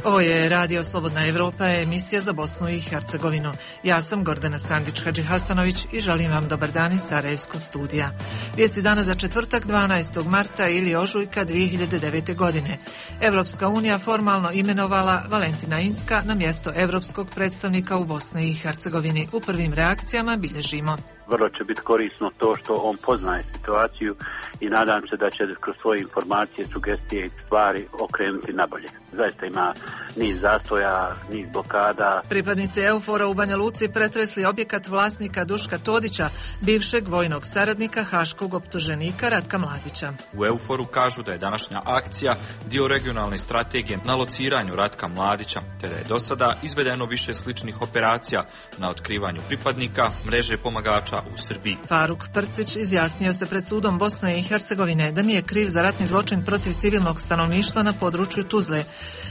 Ovo je Radio Slobodna Evropa, emisija za Bosnu i Hercegovinu. Ja sam Gordana Sandić-Hadžihasanović i želim vam dobar dan iz Sarajevskog studija. Vijesti dana za četvrtak 12. marta ili ožujka 2009. godine. Evropska unija formalno imenovala Valentina Incka na mjesto evropskog predstavnika u Bosni i Hercegovini. U prvim reakcijama bilježimo. Vrlo će biti korisno to što on poznaje situaciju i nadam se da će kroz svoje informacije, sugestije i stvari okrenuti nabolje. Zaista ima niz zastoja, niz blokada. Pripadnici EUFOR-a u Banja Luci pretresli objekat vlasnika Duška Todića, bivšeg vojnog saradnika haškog optuženika Ratka Mladića. U EUFOR-u kažu da je današnja akcija dio regionalne strategije na lociranju Ratka Mladića, te da je do sada izvedeno više sličnih operacija na otkrivanju pripadnika mreže pomagača u Srbiji. Faruk Prcić izjasnio se pred sudom Bosne i Hercegovine da nije kriv za ratni zločin protiv civilnog stanovništva na području Tuzle.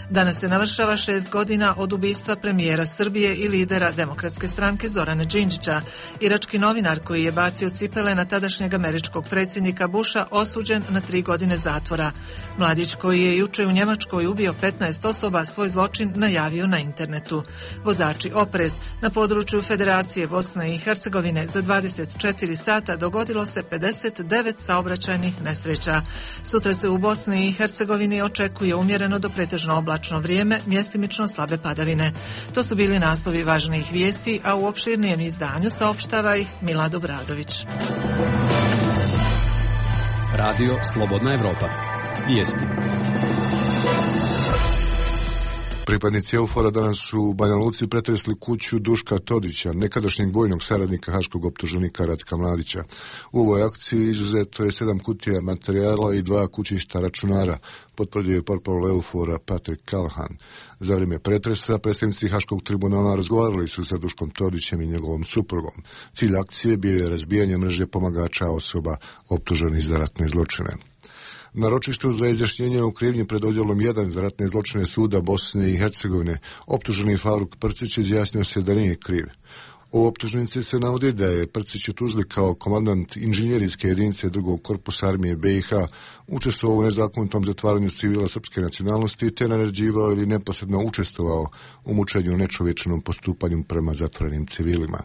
Danas se navršava 6 godina od ubistva premijera Srbije i lidera Demokratske stranke Zorana Đinđića. Irački novinar koji je bacio cipele na tadašnjeg američkog predsjednika Busha osuđen na 3 godine zatvora. Mladić koji je juče u Njemačkoj ubio 15 osoba svoj zločin najavio na internetu. Vozači oprez, na području Federacije Bosne i Hercegovine za 24 sata dogodilo se 59 saobraćajnih nesreća. Sutra se u Bosni i Hercegovini očekuje umjereno do pretežno oblačno vrijeme, mjestimično slabe padavine. To su bili naslovi važnijih vijesti, a u opširnijem izdanju saopštava ih Milad Obradović. Radio Slobodna Evropa. Vijesti. Pripadnici EUFOR-a danas su u Banja Luci pretresli kuću Duška Todića, nekadašnjeg vojnog saradnika haškog optuženika Ratka Mladića. U ovoj akciji izuzeto je 7 kutija materijala i 2 kućišta računara, potvrdio je portparol EUFOR-a Patrick Callahan. Za vrijeme pretresa predstavnici Haškog tribunala razgovarali su sa Duškom Todićem i njegovom suprugom. Cilj akcije bio je razbijanje mreže pomagača osoba optuženih za ratne zločine. Na ročištu za izjašnjenje o krivnji pred odjelom 1 za ratne zločine suda Bosne i Hercegovine optuženi Faruk Prcić izjasnio se da nije kriv. U optužnici se navodi da je Prcić u Tuzli kao komandant inženjerijske jedinice 2. korpusa armije BiH učestvovao u nezakonitom zatvaranju civila srpske nacionalnosti te naređivao ili neposredno učestvovao u mučenju nečovječnom postupanju prema zatvorenim civilima.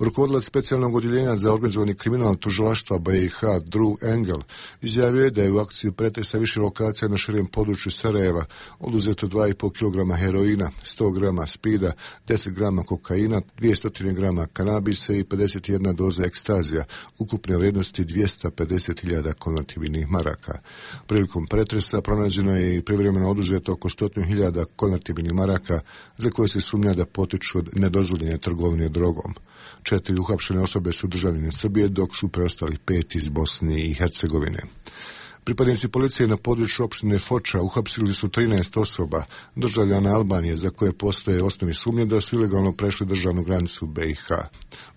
Rukovodilac specijalnog odjeljenja za organizovani kriminal tužilaštva BiH Drew Engel izjavio je da je u akciji pretresa više lokacija na širem području Sarajeva oduzeto 2,5 kg heroina, 100 grama spida, 10 grama kokaina, 200 grama kanabisa i 51 doza ekstazija, ukupne vrijednosti 250.000 konvertibilnih maraka. Prilikom pretresa pronađeno je i privremeno oduzeto oko 100.000 konvertibilnih maraka za koje se sumnja da potiču od nedozvoljene trgovine drogom. 4 uhapšene osobe su državljani Srbije, dok su preostali 5 iz Bosne i Hercegovine. Pripadnici policije na području opštine Foča uhapsili su 13 osoba, državljana Albanije, za koje postoje osnovni sumnje da su ilegalno prešli državnu granicu BiH.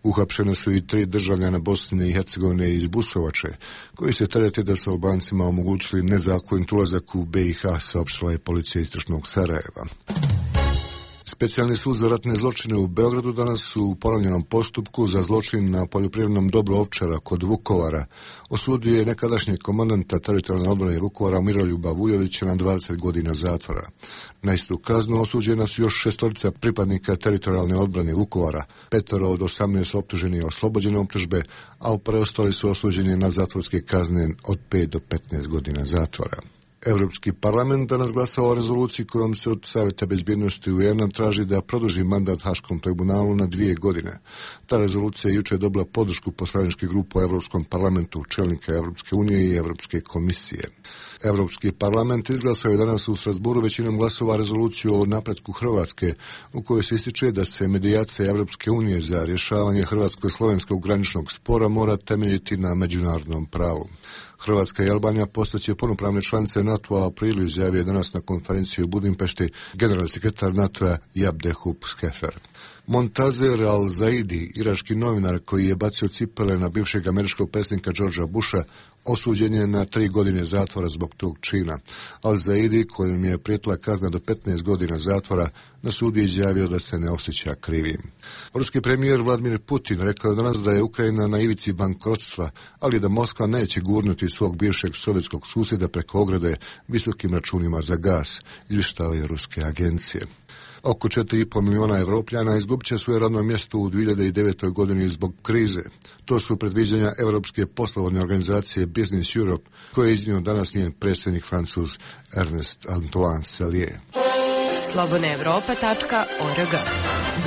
Uhapšene su i 3 državljana Bosne i Hercegovine iz Busovače, koji se terete da su Albancima omogućili nezakonit ulazak u BiH, saopštila je policija istočnog Sarajeva. Specijalni sud za ratne zločine u Beogradu danas u ponovljenom postupku za zločin na poljoprivrednom dobru Ovčara kod Vukovara osudio je nekadašnjeg komandanta teritorijalne odbrane Vukovara Miroljuba Vujovića na 20 godina zatvora. Na istu kaznu osuđena su još 6 pripadnika teritorijalne odbrane Vukovara, 5 od 18 optuženih oslobođene optužbe, a preostali su osuđeni na zatvorske kazne od 5 do 15 godina zatvora. Europski parlament danas glasao o rezoluciji kojom se od Savjeta bezbjednosti UN-a traži da produži mandat Haškom tribunalu na 2 godine. Ta rezolucija je jučer dobila podršku poslaničkih grupa u Europskom parlamentu, čelnika Europske unije i Europske komisije. Europski parlament izglasao je danas u Strasburu većinom glasova rezoluciju o napretku Hrvatske, u kojoj se ističe da se medijacija Europske unije za rješavanje hrvatsko-slovenskog graničnog spora mora temeljiti na međunarodnom pravu. Hrvatska i Albanija postaće punopravne članice NATO-a u aprilu, izjavio je danas na konferenciji u Budimpešti generalni sekretar NATO-a Jabdehub Skefer. Montazer al-Zaidi, irački novinar koji je bacio cipele na bivšeg američkog predsjednika Georgea Busha, osuđen je na 3 godine zatvora zbog tog čina. Al-Zaidi, kojem je prijetila kazna do 15 godina zatvora, na sudu je izjavio da se ne osjeća krivim. Ruski premijer Vladimir Putin rekao je danas da je Ukrajina na ivici bankrotstva, ali da Moskva neće gurnuti svog bivšeg sovjetskog susjeda preko ograde visokim računima za gas, izvještavaju ruske agencije. Oko 4,5 miliona Evropljana izgubit će svoje radno mjesto u 2009. godini zbog krize. To su predviđanja Europske poslovne organizacije Business Europe, koje je iznio danas njen predsjednik Francuz Ernest Antoine Sellier. slobodnaevropa.org.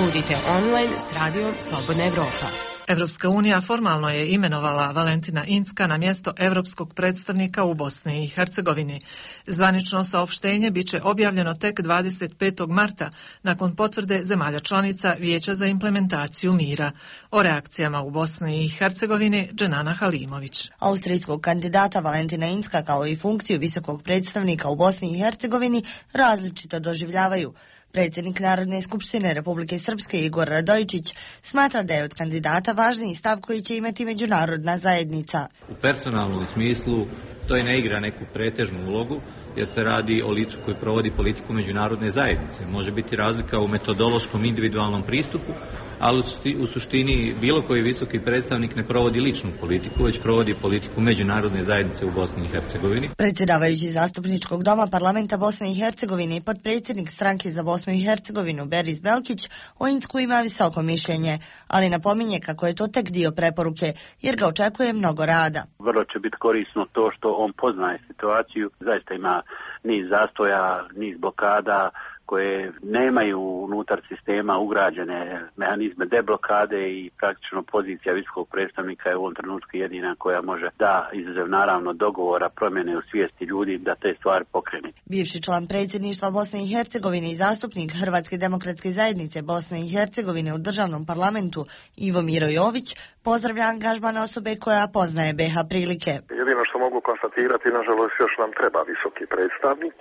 Budite online s radijom Slobodna Evropa. Evropska unija formalno je imenovala Valentina Incka na mjesto europskog predstavnika u Bosni i Hercegovini. Zvanično saopštenje biće objavljeno tek 25. marta nakon potvrde zemalja članica Vijeća za implementaciju mira. O reakcijama u Bosni i Hercegovini Dženana Halimović. Austrijskog kandidata Valentina Incka kao i funkciju visokog predstavnika u Bosni i Hercegovini različito doživljavaju. Predsjednik Narodne skupštine Republike Srpske Igor Radojičić smatra da je od kandidata važniji stav koji će imati međunarodna zajednica. U personalnom smislu to i ne igra neku pretežnu ulogu, jer se radi o licu koji provodi politiku međunarodne zajednice. Može biti razlika u metodološkom individualnom pristupu, ali u suštini bilo koji visoki predstavnik ne provodi ličnu politiku, već provodi politiku međunarodne zajednice u Bosni i Hercegovini. Predsjedavajući zastupničkog doma parlamenta Bosne i Hercegovine i potpredsjednik stranke za Bosnu i Hercegovinu Beris Belkić o Incku ima visoko mišljenje, ali napominje kako je to tek dio preporuke, jer ga očekuje mnogo rada. Vrlo će biti korisno to što on poznaje situaciju, zaista ima niz zastoja, niz blokada koje nemaju unutar sistema ugrađene mehanizme deblokade i praktično pozicija visokog predstavnika je u ovom trenutku jedina koja može da izuzev naravno dogovora promjene u svijesti ljudi da te stvari pokrene. Bivši član predsjedništva Bosne i Hercegovine i zastupnik Hrvatske demokratske zajednice Bosne i Hercegovine u državnom parlamentu Ivo Miro Jović pozdravlja angažman osobe koja poznaje BiH prilike. Jedino što mogu konstatirati, nažalost još nam treba visoki predstavnik,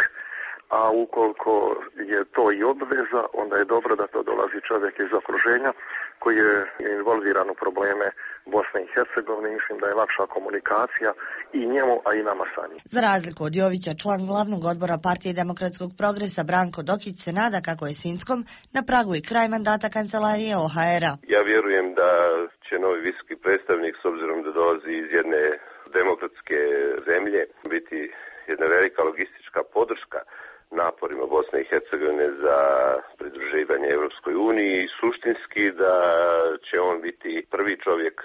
a ukoliko je to i obveza, onda je dobro da to dolazi čovjek iz okruženja koji je involviran u probleme Bosne i Hercegovine. Mislim da je lakša komunikacija i njemu, a i nama sa njim. Za razliku od Jovića, član glavnog odbora Partije demokratskog progresa Branko Dokić se nada kako je s Inckom na pragu i kraj mandata kancelarije OHR-a. Ja vjerujem da će novi visoki predstavnik, s obzirom da dolazi iz jedne demokratske zemlje, biti jedna velika logistička podrška naporima Bosne i Hercegovine za pridruživanje Europskoj uniji i suštinski da će on biti prvi čovjek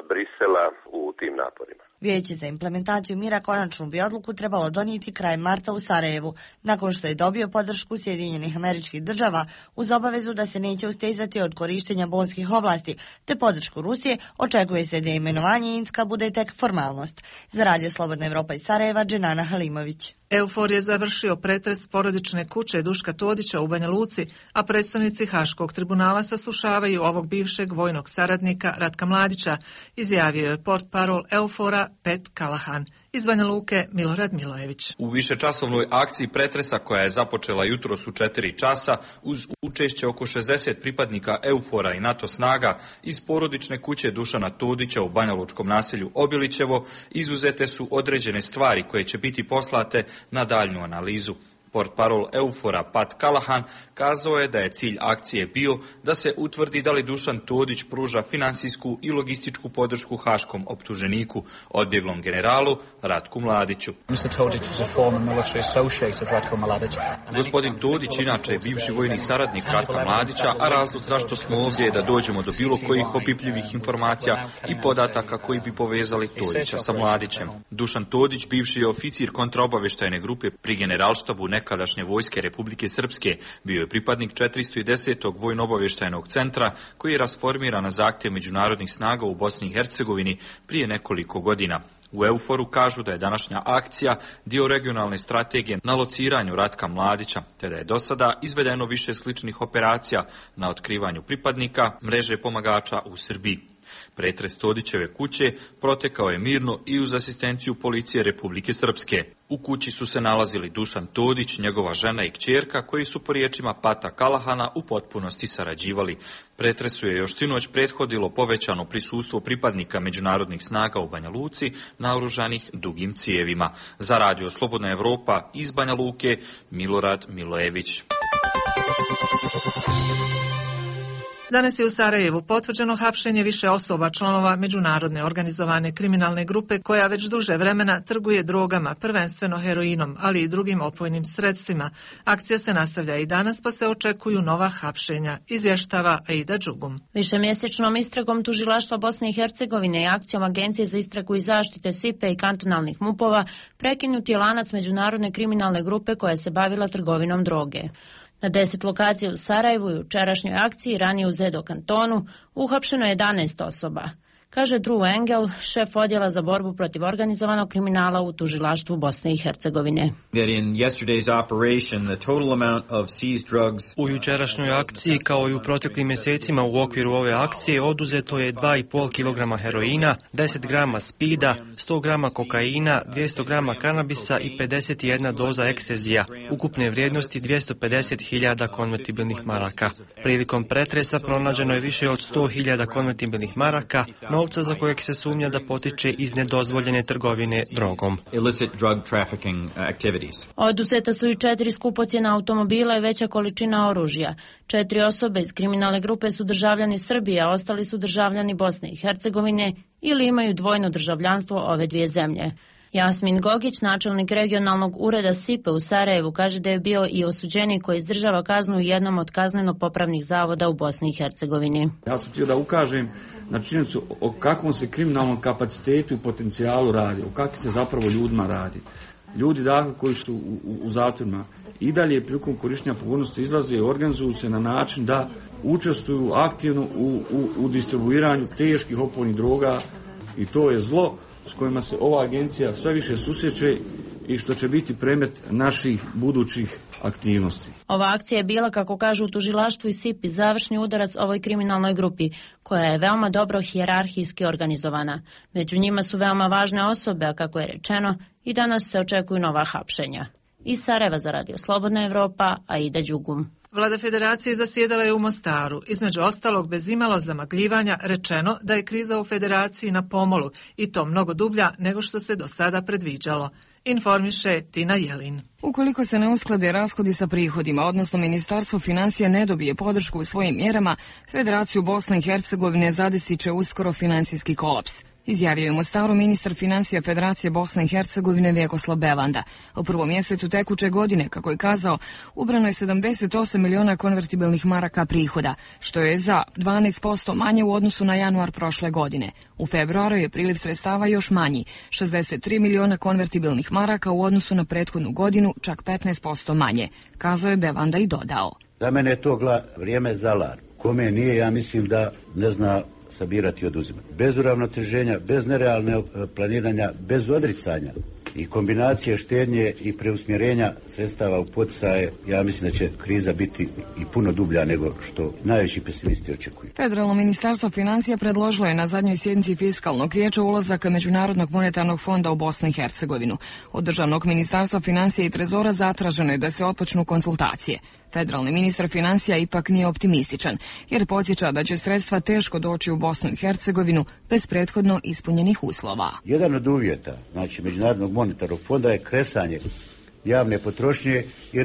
Brisela u tim naporima. Vijeće za implementaciju mira konačnu bi odluku trebalo donijeti krajem marta u Sarajevu, nakon što je dobio podršku Sjedinjenih Američkih Država uz obavezu da se neće ustezati od korištenja bonskih ovlasti, te podršku Rusije. Očekuje se da imenovanje Incka bude tek formalnost. Za Radio Slobodna Evropa iz Sarajeva, Dženana Halimović. EUFOR je završio pretres porodične kuće Duška Todića u Banja Luci, a predstavnici Haškog tribunala saslušavaju ovog bivšeg vojnog saradnika Ratka Mladića, izjavio je portparol EUFOR-a Pat Callahan. Iz Banja Luke Milorad Milojević. U višečasovnoj akciji pretresa koja je započela jutros u 4 časa uz učešće oko 60 pripadnika EUFOR-a i NATO snaga iz porodične kuće Dušana Todića u banjalučkom naselju Obilićevo izuzete su određene stvari koje će biti poslate na daljnju analizu. Portparol EUFOR-a Pat Callahan kazao je da je cilj akcije bio da se utvrdi da li Dušan Todić pruža finansijsku i logističku podršku haškom optuženiku, odbjeglom generalu Ratku Mladiću. Gospodin Todić inače je bivši vojni saradnik Ratka Mladića, a razlog zašto smo ovdje je da dođemo do bilo kojih opipljivih informacija i podataka koji bi povezali Todića sa Mladićem. Dušan Todić, bivši je oficir kontraobavještajne grupe pri generalštabu nekadašnje vojske Republike Srpske, bio je pripadnik 410. vojno-obavještajnog centra koji je rasformiran na zahtjev međunarodnih snaga u Bosni i Hercegovini prije nekoliko godina. U EUFOR-u kažu da je današnja akcija dio regionalne strategije na lociranju Ratka Mladića, te da je do sada izvedeno više sličnih operacija na otkrivanju pripadnika mreže pomagača u Srbiji. Pretres Todićeve kuće protekao je mirno i uz asistenciju policije Republike Srpske. U kući su se nalazili Dušan Todić, njegova žena i kćerka, koji su po riječima Pata Kalahana u potpunosti sarađivali. Pretresu je još sinoć prethodilo povećano prisustvo pripadnika međunarodnih snaga u Banja Luci, naoružanih dugim cijevima. Za Radio Slobodna Evropa iz Banja Luke, Milorad Milojević. Danas je u Sarajevu potvrđeno hapšenje više osoba članova međunarodne organizovane kriminalne grupe koja već duže vremena trguje drogama, prvenstveno heroinom, ali i drugim opojnim sredstvima. Akcija se nastavlja i danas, pa se očekuju nova hapšenja, izvještava Aida Đugum. Višemjesečnom istragom tužilaštva Bosne i Hercegovine i akcijom Agencije za istragu i zaštite SIPE i kantonalnih MUP-ova prekinut je lanac međunarodne kriminalne grupe koja se bavila trgovinom droge. Na 10 lokacija u Sarajevu i u jučerašnjoj akciji, ranije u Zedo kantonu, uhapšeno je 11 osoba. Kaže Drew Engel, šef odjela za borbu protiv organizovanog kriminala u tužilaštvu Bosne i Hercegovine. U jučerašnjoj akciji, kao i u proteklim mjesecima u okviru ove akcije, oduzeto je 2,5 kg heroina, 10 grama spida, 100 grama kokaina, 200 grama kanabisa i 51 doza ekstezija, ukupne vrijednosti 250.000 konvertibilnih maraka. Prilikom pretresa pronađeno je više od 100.000 konvertibilnih maraka, novca za kojeg se sumnja da potiče iz nedozvoljene trgovine drogom. Oduzeta su i 4 skupocjena automobila i veća količina oružja. 4 osobe iz kriminalne grupe su državljani Srbije, a ostali su državljani Bosne i Hercegovine ili imaju dvojno državljanstvo ove dvije zemlje. Jasmin Gogić, načelnik regionalnog ureda SIPE u Sarajevu, kaže da je bio i osuđenik koji izdržava kaznu u jednom od kazneno-popravnih zavoda u Bosni i Hercegovini. Ja sam htio da ukažem na činjenicu o kakvom se kriminalnom kapacitetu i potencijalu radi, o kakvim se zapravo ljudima radi. Ljudi dakle koji su u zatvorima i dalje prilikom korištenja pogodnosti izlaze i organizuju se na način da učestvuju aktivno u distribuiranju teških opojnih droga i to je zlo s kojima se ova agencija sve više susreće i što će biti predmet naših budućih aktivnosti. Ova akcija je bila, kako kažu u tužilaštvu i SIPI, završni udarac ovoj kriminalnoj grupi, koja je veoma dobro hijerarhijski organizovana. Među njima su veoma važne osobe, a kako je rečeno, i danas se očekuju nova hapšenja. Iz Sarajeva za Radio Slobodna Evropa, Aida Đugum. Vlada Federacije zasjedala je u Mostaru. Između ostalog, bez imalo zamagljivanja, rečeno da je kriza u Federaciji na pomolu i to mnogo dublja nego što se do sada predviđalo. Informiše Tina Jelin. Ukoliko se ne usklade rashodi sa prihodima, odnosno Ministarstvo financija ne dobije podršku u svojim mjerama, Federaciju Bosne i Hercegovine zadesit će uskoro financijski kolaps. Izjavio je u Mostaru ministar financija Federacije Bosne i Hercegovine Vjekoslav Belanda. U prvom mjesecu tekuće godine, kako je kazao, ubrano je 78 miliona konvertibilnih maraka prihoda, što je za 12% manje u odnosu na januar prošle godine. U februaru je priliv sredstava još manji, 63 miliona konvertibilnih maraka u odnosu na prethodnu godinu, čak 15% manje, kazao je Belanda i dodao. Za mene je to vrijeme za alarm. Kome nije, ja mislim da ne zna sabirati i oduzimati. Bez uravnoteženja, bez nerealne planiranja, bez odricanja i kombinacije štednje i preusmjerenja sredstava u poticaje, ja mislim da će kriza biti i puno dublja nego što najveći pesimisti očekuju. Federalno ministarstvo financija predložilo je na zadnjoj sjednici fiskalnog vijeća ulazak Međunarodnog monetarnog fonda u Bosnu i Hercegovinu. Od državnog ministarstva financija i trezora zatraženo je da se otpočnu konsultacije. Federalni ministar financija ipak nije optimističan, jer podsjeća da će sredstva teško doći u Bosnu i Hercegovinu bez prethodno ispunjenih uslova. Jedan od uvjeta, znači Međunarodnog monetarnog fonda, je kresanje javne potrošnje i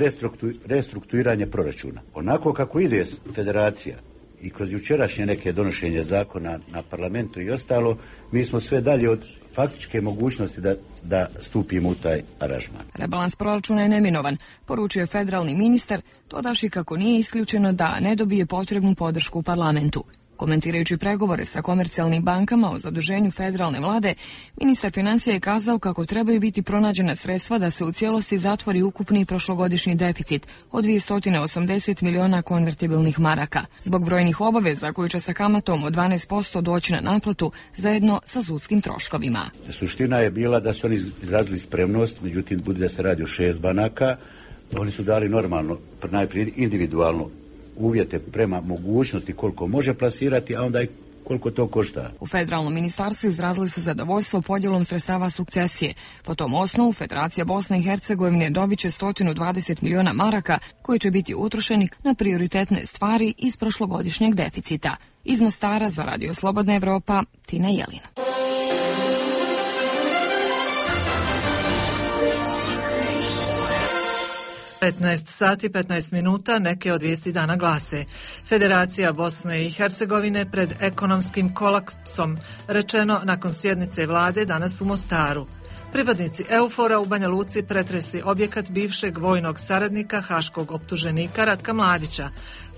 restrukturiranje proračuna. Onako kako ide federacija i kroz jučerašnje neke donošenje zakona na parlamentu i ostalo, mi smo sve dalje od faktičke mogućnosti da stupimo u taj aranžman. Rebalans proračuna je neminovan, poručio je federalni ministar, dodavši kako nije isključeno da ne dobije potrebnu podršku u parlamentu. Komentirajući pregovore sa komercijalnim bankama o zaduženju federalne vlade, ministar financija je kazao kako trebaju biti pronađena sredstva da se u cijelosti zatvori ukupni prošlogodišnji deficit od 280 miliona konvertibilnih maraka, zbog brojnih obaveza koji će sa kamatom od 12% doći na naplatu zajedno sa sudskim troškovima. Suština je bila da su oni izrazili spremnost, međutim, bude da se radi o 6 banaka, oni su dali normalno, najprije individualno uvjete prema mogućnosti koliko može plasirati, a onda i koliko to košta. U federalnom ministarstvu izrazili su zadovoljstvo podjelom sredstava sukcesije. Po tom osnovu Federacija Bosne i Hercegovine dobit će 120 miliona maraka koji će biti utrošeni na prioritetne stvari iz prošlogodišnjeg deficita. Iz Mostara za Radio Slobodna Evropa, Tina Jelin. 15 sati 15 minuta, neke od vijesti dana glase. Federacija Bosne i Hercegovine pred ekonomskim kolapsom, rečeno nakon sjednice vlade danas u Mostaru. Pripadnici EUFOR-a u Banja Luci pretresli objekat bivšeg vojnog saradnika haškog optuženika Ratka Mladića.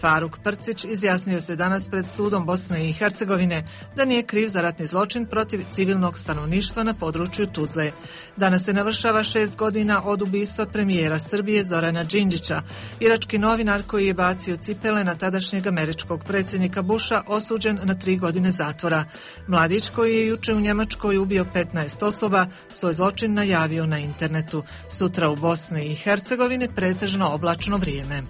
Faruk Prcić izjasnio se danas pred sudom Bosne i Hercegovine da nije kriv za ratni zločin protiv civilnog stanovništva na području Tuzle. Danas se navršava 6 godina od ubistva premijera Srbije Zorana Đinđića. Irački novinar koji je bacio cipele na tadašnjeg američkog predsjednika Busha osuđen na 3 godine zatvora. Mladić koji je juče u Njemačkoj ubio 15 osoba svoj zločin najavio na internetu. Sutra u Bosni i Hercegovini pretežno oblačno vrijeme.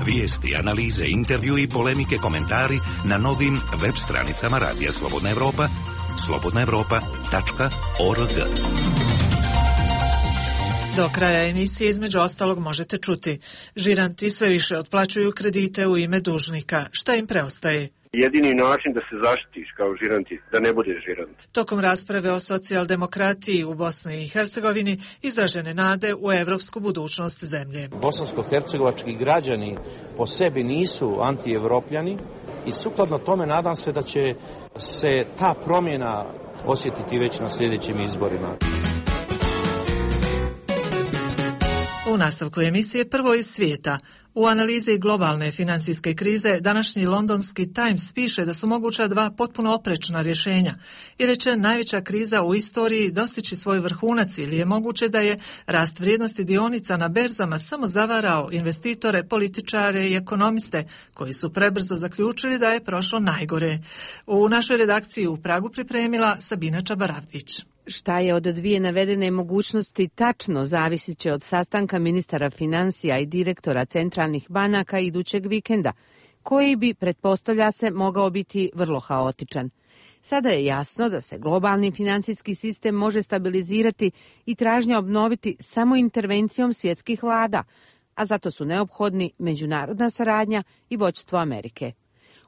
Vijesti, analize, intervju i polemike, komentari na novim web stranicama Radija Slobodna Evropa, slobodnaevropa.org. Do kraja emisije između ostalog možete čuti: žiranti sve više otplaćuju kredite u ime dužnika. Šta im preostaje? Jedini način da se zaštitiš kao žiranti, da ne budeš žirant. Tokom rasprave o socijaldemokratiji u Bosni i Hercegovini izražene nade u evropsku budućnost zemlje. Bosansko-hercegovački građani po sebi nisu antievropljani i sukladno tome nadam se da će se ta promjena osjetiti već na sljedećim izborima. U nastavku emisije prvo iz svijeta. U analizi globalne financijske krize današnji londonski Times piše da su moguća 2 potpuno oprečna rješenja i reče najveća kriza u istoriji dostići svoj vrhunac ili je moguće da je rast vrijednosti dionica na berzama samo zavarao investitore, političare i ekonomiste koji su prebrzo zaključili da je prošlo najgore. U našoj redakciji u Pragu pripremila Sabina Čabaravdić. Šta je od 2 navedene mogućnosti tačno zavisit će od sastanka ministara financija i direktora centralnih banaka idućeg vikenda, koji bi, pretpostavlja se, mogao biti vrlo haotičan. Sada je jasno da se globalni financijski sistem može stabilizirati i tražnja obnoviti samo intervencijom svjetskih vlada, a zato su neophodni međunarodna saradnja i vođstvo Amerike.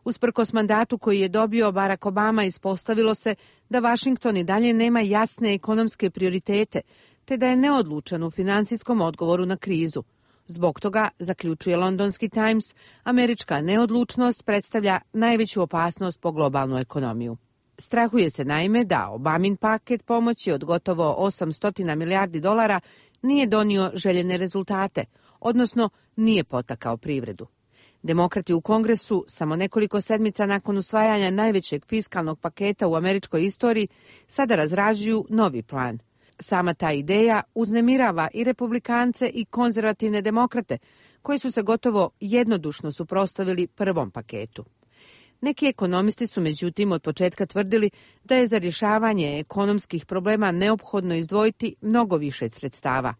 Usprkos mandatu koji je dobio Barack Obama, ispostavilo se da Washington i dalje nema jasne ekonomske prioritete, te da je neodlučan u financijskom odgovoru na krizu. Zbog toga, zaključuje londonski Times, američka neodlučnost predstavlja najveću opasnost po globalnu ekonomiju. Strahuje se naime da Obamin paket pomoći od gotovo 800 milijardi dolara nije donio željene rezultate, odnosno nije potakao privredu. Demokrati u Kongresu, samo nekoliko sedmica nakon usvajanja najvećeg fiskalnog paketa u američkoj istoriji, sada razrađuju novi plan. Sama ta ideja uznemirava i republikance i konzervativne demokrate, koji su se gotovo jednodušno suprotstavili prvom paketu. Neki ekonomisti su međutim od početka tvrdili da je za rješavanje ekonomskih problema neophodno izdvojiti mnogo više sredstava.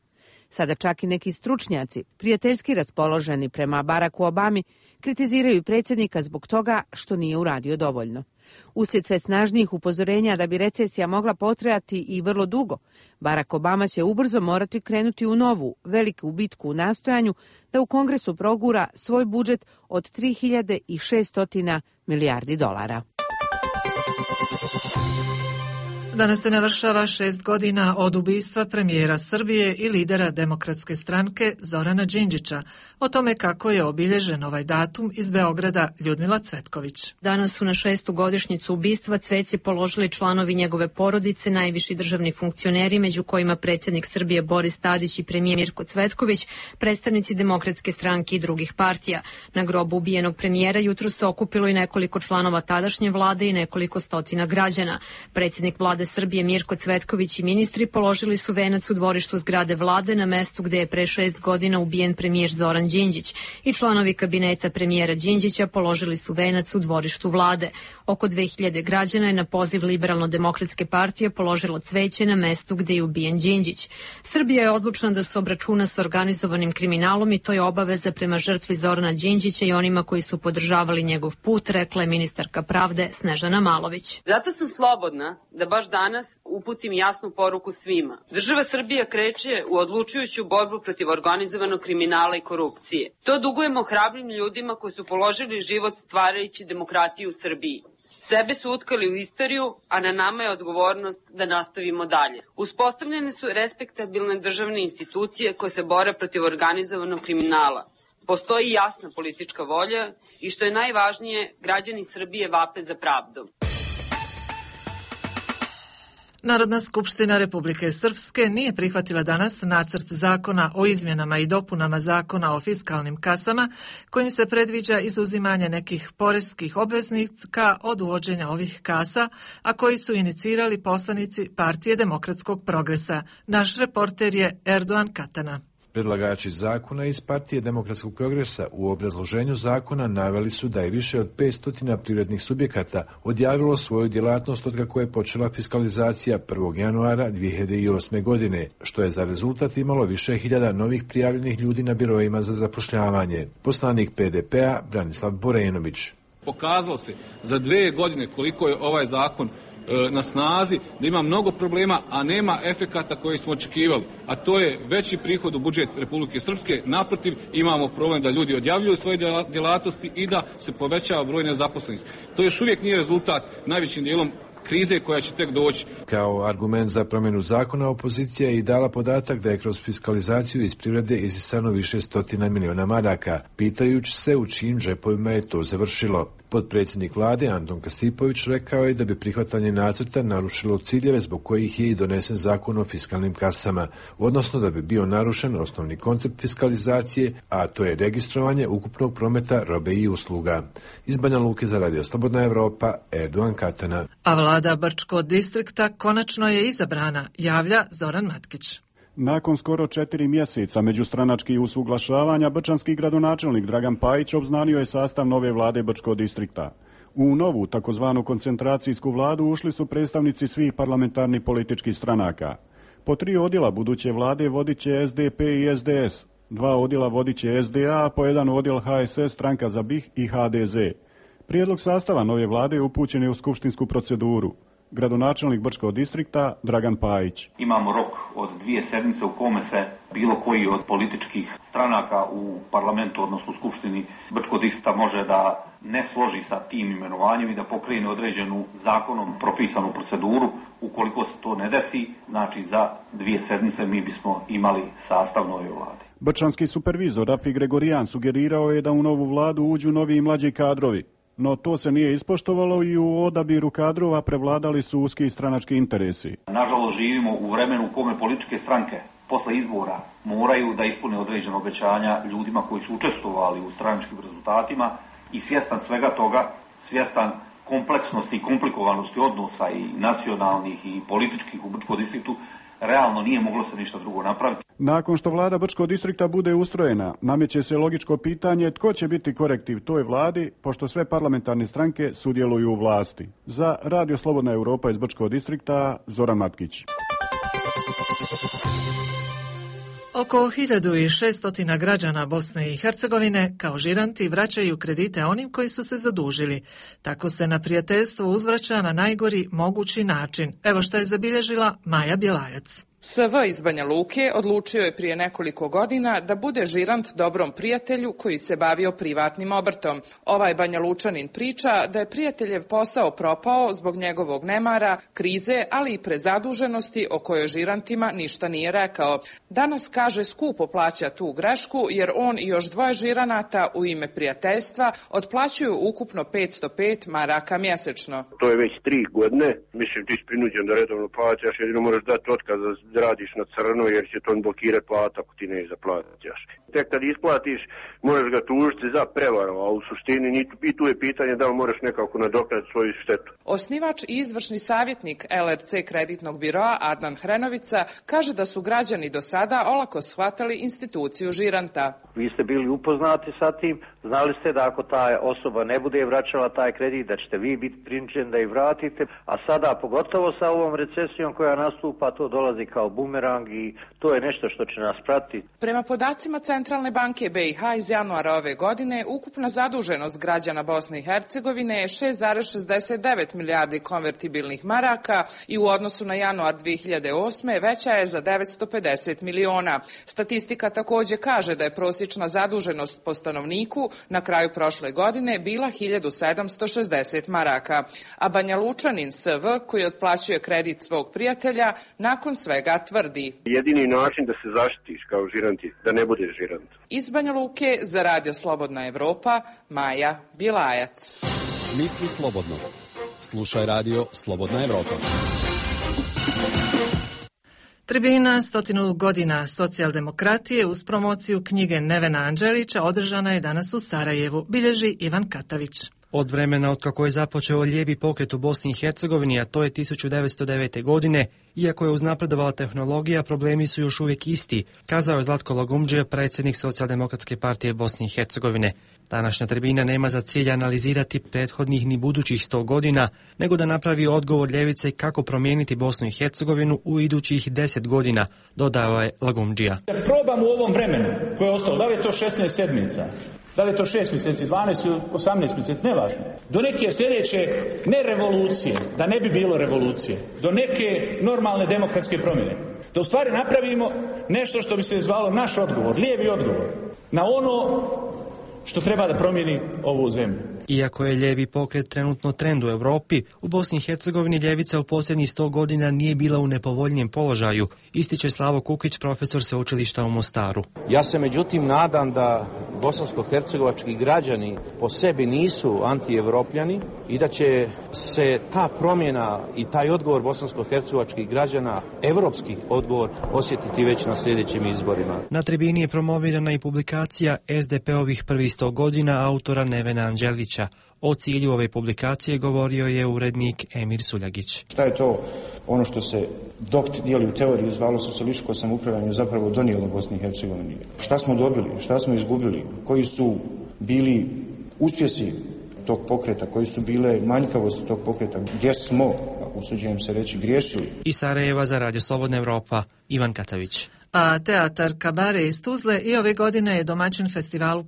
Sada čak i neki stručnjaci, prijateljski raspoloženi prema Baracku Obami, kritiziraju predsjednika zbog toga što nije uradio dovoljno. Uslijed sve snažnijih upozorenja da bi recesija mogla potrajati i vrlo dugo, Barack Obama će ubrzo morati krenuti u novu, veliku bitku u nastojanju da u Kongresu progura svoj budžet od 3600 milijardi dolara. Danas se navršava 6 godina od ubistva premijera Srbije i lidera Demokratske stranke Zorana Đinđića. O tome kako je obilježen ovaj datum iz Beograda Ljudmila Cvetković. Danas su na 6. godišnjicu ubistva cveće položili članovi njegove porodice, najviši državni funkcioneri, među kojima predsjednik Srbije Boris Tadić i premijer Mirko Cvetković, predstavnici Demokratske stranke i drugih partija. Na grobu ubijenog premijera jutros se okupilo i nekoliko članova tadašnje vlade i nekoliko stotina građana. Predsjednik vlade Srbije Mirko Cvetković i ministri položili su venac u dvorištu zgrade vlade na mestu gde je pre 6 godina ubijen premijer Zoran Đinđić i članovi kabineta premijera Đinđića položili su venac u dvorištu vlade. Oko 2000 građana je na poziv Liberalno-demokratske partije položilo cveće na mestu gde je ubijen Đinđić. Srbija je odlučna da se obračuna sa organizovanim kriminalom i to je obaveza prema žrtvi Zorana Đinđića i onima koji su podržavali njegov put, rekla je ministarka pravde Snežana Malović. Zato sam slobodna da baš danas uputim jasnu poruku svima. Država Srbija kreće u odlučujuću borbu protiv organizovanog kriminala i korupcije. To dugujemo hrabrim ljudima koji su položili život stvarajući demokratiju u Srbiji. Sebe su utkali u istoriju, a na nama je odgovornost da nastavimo dalje. Uspostavljene su respektabilne državne institucije koje se bore protiv organizovanog kriminala. Postoji jasna politička volja i što je najvažnije, građani Srbije vape za pravdom. Narodna skupština Republike Srpske nije prihvatila danas nacrt zakona o izmjenama i dopunama zakona o fiskalnim kasama, kojim se predviđa izuzimanje nekih poreskih obveznika od uvođenja ovih kasa, a koji su inicirali poslanici Partije demokratskog progresa. Naš reporter je Erdogan Katana. Predlagači zakona iz Partije demokratskog progresa u obrazloženju zakona naveli su da je više od 500 privrednih subjekata odjavilo svoju djelatnost od kako je počela fiskalizacija 1. januara 2008. godine, što je za rezultat imalo više hiljada novih prijavljenih ljudi na biroima za zapošljavanje. Poslanik PDP-a Branislav Borenović. Pokazalo se za 2 godine koliko je ovaj zakon na snazi, da ima mnogo problema, a nema efekata koji smo očekivali. A to je veći prihod u budžet Republike Srpske. Naprotiv, imamo problem da ljudi odjavljuju svoje djelatnosti i da se povećava broj nezaposlenih. To još uvijek nije rezultat najvećim dijelom krize koja će tek doći. Kao argument za promjenu zakona, opozicija je i dala podatak da je kroz fiskalizaciju iz privrede isisano više stotina miliona maraka, pitajući se u čijim džepovima je to završilo. Potpredsjednik vlade Anton Kasipović rekao je da bi prihvatanje nacrta narušilo ciljeve zbog kojih je i donesen zakon o fiskalnim kasama, odnosno da bi bio narušen osnovni koncept fiskalizacije, a to je registrovanje ukupnog prometa robe i usluga. Iz Banja Luke za Radio Slobodna Evropa, Erdogan Katana. A vlada Brčkog distrikta konačno je izabrana, javlja Zoran Matkić. Nakon skoro 4 mjeseca međustranačkih usuglašavanja, brčanski gradonačelnik Dragan Pajić obznanio je sastav nove vlade Brčkog distrikta. U novu takozvanu koncentracijsku vladu ušli su predstavnici svih parlamentarnih političkih stranaka. Po 3 odjela buduće vlade vodit će SDP i SDS, 2 odjela vodit će SDA, a po 1 odjel HSS, Stranka za BiH i HDZ. Prijedlog sastava nove vlade upućen je u skupštinsku proceduru. Gradonačelnik Brčkog distrikta Dragan Pajić. Imamo rok od 2 sedmice u kome se bilo koji od političkih stranaka u parlamentu, odnosno u skupštini Brčkog distrikta može da ne složi sa tim imenovanjem i da pokrene određenu zakonom propisanu proceduru. Ukoliko se to ne desi, znači za 2 sedmice mi bismo imali sastav nove vlade. Brčanski supervizor Rafi Gregorijan sugerirao je da u novu vladu uđu novi i mlađi kadrovi. No to se nije ispoštovalo i u odabiru kadrova prevladali su uski stranački interesi. Nažalost, živimo u vremenu u kome političke stranke posle izbora moraju da ispune određene obećanja ljudima koji su učestvovali u stranačkim rezultatima i svjestan svega toga, svjestan kompleksnosti i komplikovanosti odnosa i nacionalnih i političkih u Brčkom distriktu, realno nije moglo se ništa drugo napraviti. Nakon što vlada Brčkog distrikta bude ustrojena, nameće se logičko pitanje tko će biti korektiv toj vladi, pošto sve parlamentarne stranke sudjeluju u vlasti. Za Radio Slobodna Europa iz Brčkog distrikta, Zoran Matkić. Oko 1600 građana Bosne i Hercegovine kao žiranti vraćaju kredite onim koji su se zadužili. Tako se na prijateljstvo uzvraća na najgori mogući način. Evo što je zabilježila Maja Bjelajac. SV iz Banja Luke odlučio je prije nekoliko godina da bude žirant dobrom prijatelju koji se bavio privatnim obrtom. Ovaj Banja Lučanin priča da je prijateljev posao propao zbog njegovog nemara, krize, ali i prezaduženosti o kojoj žirantima ništa nije rekao. Danas, kaže, skupo plaća tu grešku jer on i još 2 žiranata u ime prijateljstva otplaćuju ukupno 505 maraka mjesečno. To je već 3 godine. Mislim, ti si prinuđen da redovno plaćaš, jedino moraš dati otkaz da radiš na crno jer će to blokirati plata ako ti ne zaplatiš. Tek kad isplatiš možeš ga tužiti za prevaru, a u suštini i tu je pitanje da li moraš nekako nadoknaditi svoju štetu. Osnivač i izvršni savjetnik LRC kreditnog biroa Adnan Hrenovica kaže da su građani do sada olako shvatali instituciju žiranta. Vi ste bili upoznati sa tim, znali ste da ako ta osoba ne bude vraćala taj kredit, da ćete vi biti prinuđeni da ih vratite, a sada pogotovo sa ovom recesijom koja nastupa, to dolazi kao bumerang i to je nešto što će nas pratiti. Prema podacima Centralne banke BiH iz januara ove godine, ukupna zaduženost građana Bosne i Hercegovine je 6,69 milijardi konvertibilnih maraka i u odnosu na januar 2008. veća je za 950 miliona. Statistika također kaže da je prosječna zaduženost po stanovniku na kraju prošle godine bila 1760 maraka, a Banja Lučanin SV, koji otplaćuje kredit svog prijatelja, nakon svega tvrdi: jedini način da se zaštitiš kao žirant je da ne budeš žirant. Iz Banja Luke za Radio Slobodna Evropa, Maja Bilajac. Misli slobodno. Slušaj Radio Slobodna Evropa. Tribina 100 godina socijaldemokratije uz promociju knjige Nevena Anđelića održana je danas u Sarajevu, bilježi Ivan Katavić. Od vremena otkako je započeo lijevi pokret u Bosni i Hercegovini, a to je 1909. godine, iako je uznapredovala tehnologija, problemi su još uvijek isti, kazao je Zlatko Lagumdžija, predsjednik Socijaldemokratske partije Bosne i Hercegovine. Današnja tribina nema za cilj analizirati prethodnih ni budućih 100 godina, nego da napravi odgovor ljevice kako promijeniti Bosnu i Hercegovinu u idućih 10 godina, dodao je Lagumdžija. Probam u ovom vremenu koje je ostalo, da li je to 16 sedmica, da li je to 6 mjeseci, 12 ili 18 mjeseci, nevažno. Do neke sljedeće, ne revolucije, da ne bi bilo revolucije, do neke normalne demokratske promjene. Da u stvari napravimo nešto što bi se zvalo naš odgovor, lijevi odgovor, na ono što treba da promijeni ovu zemlju. Iako je lijevi pokret trenutno trend u Europi, u Bosni i Hercegovini ljevica u posljednjih 100 godina nije bila u nepovoljnijem položaju, ističe Slavo Kukić, profesor sveučilišta u Mostaru. Ja se međutim nadam da bosansko-hercegovački građani po sebi nisu antievropljani i da će se ta promjena i taj odgovor bosansko-hercegovačkih građana, evropski odgovor, osjetiti već na sljedećim izborima. Na tribini je promovirana i publikacija SDP-ovih prvih 100 godina autora Nevena Anđelića. O cilju ove publikacije govorio je urednik Emir Suljagić. Šta je to ono što se dok dijeli u teoriji zvalo socijalističko samoupravljanje zapravo donijelo Bosni i Hercegovini? Šta smo dobili, šta smo izgubili, koji su bili uspjesi tog pokreta, koji su bile manjkavosti tog pokreta, gdje smo, usuđujem se reći, griješili. Iz Sarajeva za Radio Slobodna Evropa, Ivan Katavić. A teatar Kabare iz Tuzle i ove godine je domaćin festivalu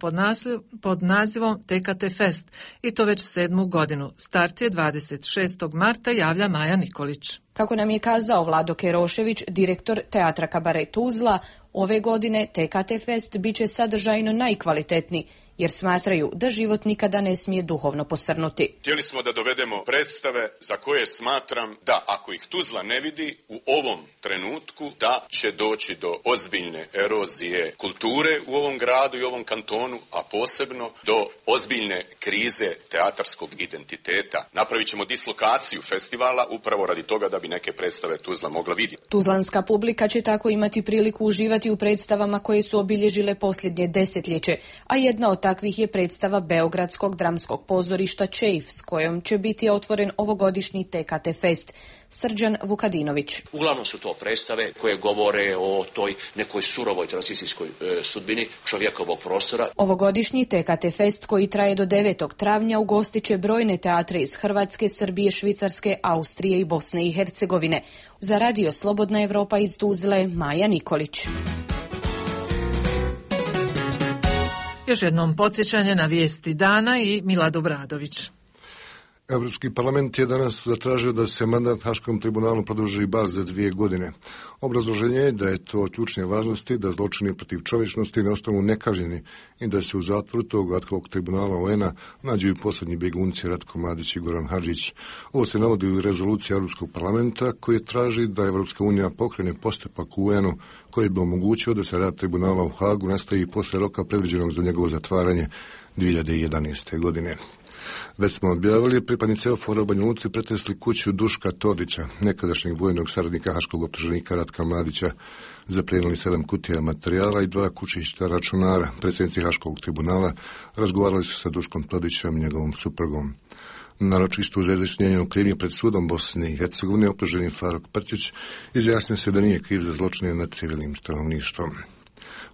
pod nazivom TKT Fest i to već 7. godinu. Start je 26. marta, javlja Maja Nikolić. Kako nam je kazao Vlado Kerošević, direktor teatra Kabare Tuzla, ove godine TKT Fest bit će sadržajno najkvalitetniji, jer smatraju da život nikada ne smije duhovno posrnuti. Htjeli smo da dovedemo predstave za koje smatram da ako ih Tuzla ne vidi u ovom trenutku, da će doći do ozbiljne erozije kulture u ovom gradu i ovom kantonu, a posebno do ozbiljne krize teatarskog identiteta. Napravit ćemo dislokaciju festivala upravo radi toga da bi neke predstave Tuzla mogla vidjeti. Tuzlanska publika će tako imati priliku uživati u predstavama koje su obilježile posljednje desetljeće, a jedna od takvih je predstava Beogradskog dramskog pozorišta Čejf, s kojom će biti otvoren ovogodišnji TKT Fest. Srđan Vukadinović. Uglavnom su to predstave koje govore o toj nekoj surovoj tranzicijskoj sudbini čovjekovog prostora. Ovogodišnji TKT Fest, koji traje do 9. travnja, ugostit će brojne teatre iz Hrvatske, Srbije, Švicarske, Austrije i Bosne i Hercegovine. Za Radio Slobodna Evropa iz Tuzle, Maja Nikolić. Još jednom podsjećanje na vijesti dana i Milad Obradović. Europski parlament je danas zatražio da se mandat Haškom tribunalu produži bar za 2 godine. Obrazloženje je da je to od ključne važnosti da zločini protiv čovječnosti ne ostanu nekažnjeni i da se u zatvoru tog ad hoc tribunala UN-a nađu i posljednji bjegunci Ratko Mladić i Goran Hadžić. Ovo se navodi u rezoluciji Europskog parlamenta koji traži da Evropska unija pokrene postupak u UN-u koji bi omogućio da se rad tribunala u Hagu nastavi posle roka predviđenog za njegovo zatvaranje 2011. godine. Već smo objavili, pripadnici EUFOR-a u Banja Luci pretresli kuću Duška Todića, nekadašnjeg vojnog saradnika haškog optuženika Ratka Mladića, zaplijenili 7 kutija materijala i 2 kućišta računara. Predsjednici Haškog tribunala razgovarali su sa Duškom Todićem i njegovom suprugom. Na ročištu za izjašnjenje o krivnji pred sudom Bosne i Hercegovine optuženi Faruk Prcić izjasnio se da nije kriv za zločine nad civilnim stanovništvom.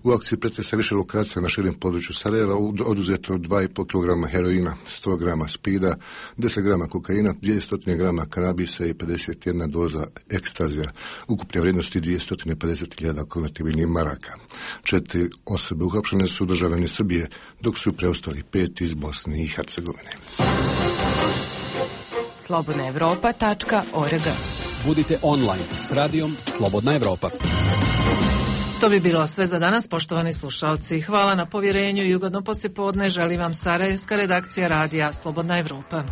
U akciji pretresa više lokacija na širem području Sarajeva oduzeto 2,5 kg heroina, 100 grama spida, 10 grama kokaina, 200 grama kanabisa i 51 doza ekstazija, ukupne vrijednosti 250.000 konvertibilnih maraka. 4 osobe uhapšene su državljani Srbije, dok su preostali 5 iz Bosne i Hercegovine. slobodnaevropa.org. Budite online s radijom Slobodna Evropa. To bi bilo sve za danas, poštovani slušalci. Hvala na povjerenju i ugodno poslijepodne želi vam sarajevska redakcija radija Slobodna Evropa.